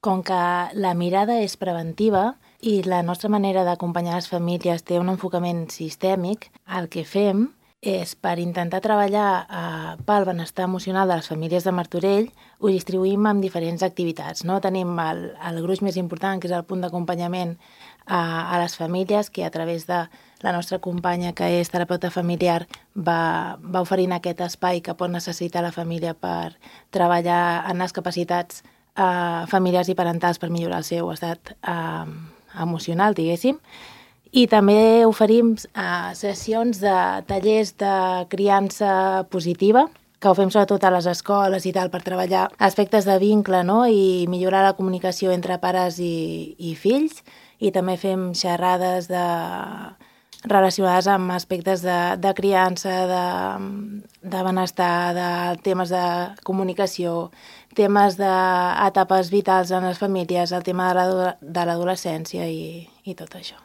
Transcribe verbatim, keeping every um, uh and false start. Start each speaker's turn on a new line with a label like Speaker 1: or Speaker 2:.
Speaker 1: Com que la mirada és preventiva i la nostra manera d'acompanyar les famílies té un enfocament sistèmic, el que fem és, per intentar treballar eh, pel benestar emocional de les famílies de Martorell, ho distribuïm en diferents activitats. No? Tenim el, el gruix més important, que és el punt d'acompanyament a, a les famílies, que a través de la nostra companya, que és terapeuta familiar, va, va oferint aquest espai que pot necessitar la família per treballar en les capacitats eh, familiars i parentals per millorar el seu estat eh, emocional, diguéssim. I també oferim eh, sessions de tallers de criança positiva, que ho fem sobretot a les escoles i tal, per treballar aspectes de vincle, no? I millorar la comunicació entre pares i, i fills. I també fem xerrades de, relacionades amb aspectes de, de criança, de, de benestar, de temes de comunicació, temes d'etapes vitals en les famílies, el tema de l'adolescència i, i tot això.